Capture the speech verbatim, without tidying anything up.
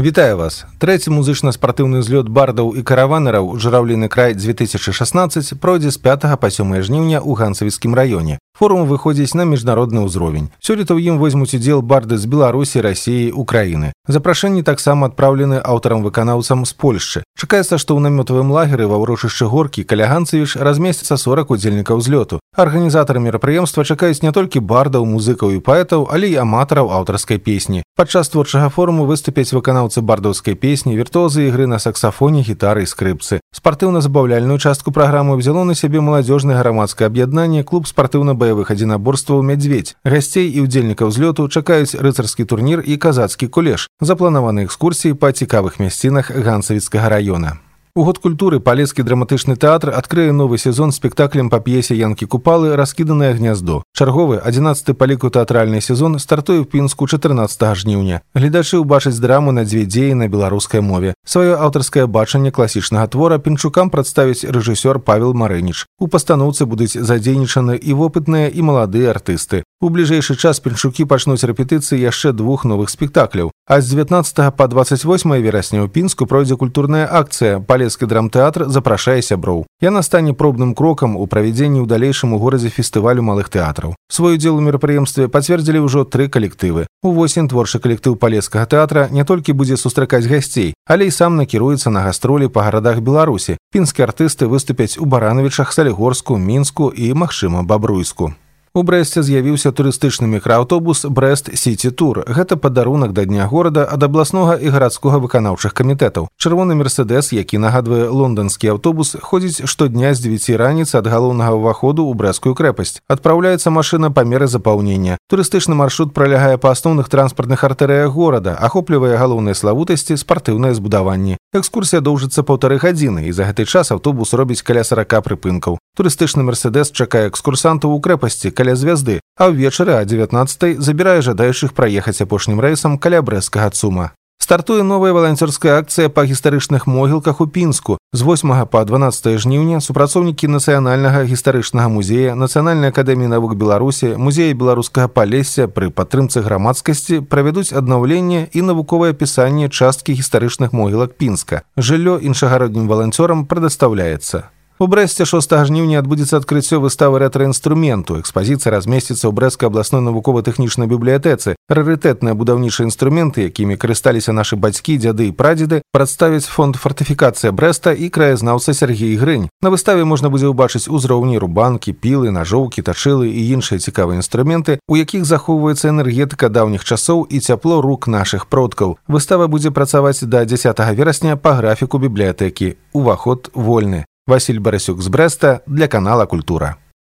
Вітаю вас. Трэці музычна-спартыўны злёт бардаў і караванараў «Журавліны край две тысячи шестнадцать» пройдзе з пятага па сёмае жніўня ў Ганцавіцкім раёне. Форум выходзіць на міжнародны ўзровень. Сёлета ў ім возьмуць удзел барды з Беларусі, Расіі, Украіны. Запрашэнні таксама адпраўлены аўтарам-выканаўцам з Польшчы. Чакаецца, што ў намётавым лагеры ва ўрочышчы Горкі каля Ганцавіч размесціцца сорок удзельнікаў злёту. Арганізатары мерапрыемства чакаюць не толькі бардаў, музыкаў і паэтаў, але і аматараў аўтарскай песні. Падчас творчага форуму выступяць выканаўцы бардаўскай песні, віртуозы ігры на саксафоне, гітары і скрыпцы. Спартыўна-забаўляльную частку праграмы ўзяло на сябе маладзёжнае грамадскае аб'яднанне клуб спартыўна-баявых адзінаборстваў «Мядзведзь». Гасцей і ўдзельнікаў злёту чакаюць рыцарскі турнір і казацкі кулеш. Запланаваны экскурсіі па цікавых мясцінах Ганцавіцкага раёна. У год культуры палецкі драматычны тэатр адкрые новы сезон спектаклем па п'есе Янкі Купалы «Раскіданае гняздо». Чарговы адзінаццаты па ліку тэатральны сезон стартуе ў Пінску чатырнаццатага жніўня. Гледачы ўбачаць драму на дзве дзеі на беларускай мове. Сваё аўтарскае бачанне класічнага твора пінчукам прадставіць рэжысёр Павел Марыніч. У пастаноўцы будуць задзейнічаны і вопытныя, і маладыя артысты. У бліжэйшы час пінчукі пачнуць рэпетыцыі яшчэ двух новых спектакляў. А з дзевятнаццатага па дваццаць восьмае верасня ў Пінску пройдзе культурная акцыя «Палецкі драмтэатр запрашае сяброў». Яна стане пробным крокам у правядзенні ў далейшым у горадзе фестывалю малых тэатраў. Свой удзел у мерапрыемстве пацвердзілі ўжо тры калектывы. Увосень творчы калектыў палецкага тэатра не толькі будзе сустракаць гасцей, але і сам накіруецца на гастролі па гарадах Беларусі. Пінскія артысты выступяць у Баранавічах, Салігорску, Мінску і, магчыма, Бабруйску. У Брэсце з'явіўся турыстычны мікрааўтобус «Брэст Сіці Тур». Гэта падарунак да дня горада ад абласнога і гарадскога выканаўчых камітэтаў. Чырвоны «Мерседес», які нагадвае лонданскі аўтобус, ходзіць штодня з дзевяці раніцы ад галоўнага ўваходу ў Брэсцкую крэпасць. Адпраўляецца машына па меры запаўнення. Турыстычны маршрут пралягае па асноўных транспартных артэрыях горада, ахоплівае галоўныя славутасці, спартыўныя збудаванні. Экскурсія доўжыцца паўтары гадзіны, і за гэты час аўтобус робіць каля сарака прыпынкаў. Турыстычны «Мерседес» чакае экскурсантаў у крэпасці каля звязды, а ўвечары а дзевятнаццатай забірае жадаючых праехаць апошнім рэйсам каля брэсцкага ЦУМа. Стартуе новая валанцёрская акцыя па гістарычных могілках у Пінску. З восьмага па дванаццатае жніўня супрацоўнікі Нацыянальнага гістарычнага музея, Нацыянальнай акадэміі навук Беларусі, музея беларускага Палесся пры падтрымцы грамадскасці правядуць аднаўленне і навуковае апісанне часткі гістарычных могілак Пінска. Жыллё іншагароднім валанцёрам прадастаўляецца. У Брэсце шостага жніўня адбудзецца адкрыццё выставы рэтра-інструменту. Экспазіцыя размесціцца ў Брэсцкай абласной навукова-тэхнічнай бібліятэцы. Рарытэтныя будаўнічыя інструменты, якімі карысталіся нашы бацькі, дзяды і прадзеды, прадставяць фонд фортыфікацыя Брэста і краязнаўца Сергей Грынь. На выставе можна будзе ўбачыць узроўні рубанкі, пілы, нажоўкі, тачылы і іншыя цікавыя інструменты, у якіх захоўваецца энергетыка даўніх часоў і цяпло рук нашых продкаў. Выстава будзе працаваць да дзясятага верасня па графіку бібліятэкі. Уваход вольны. Васіль Барасюк з Брэста для канала «Культура».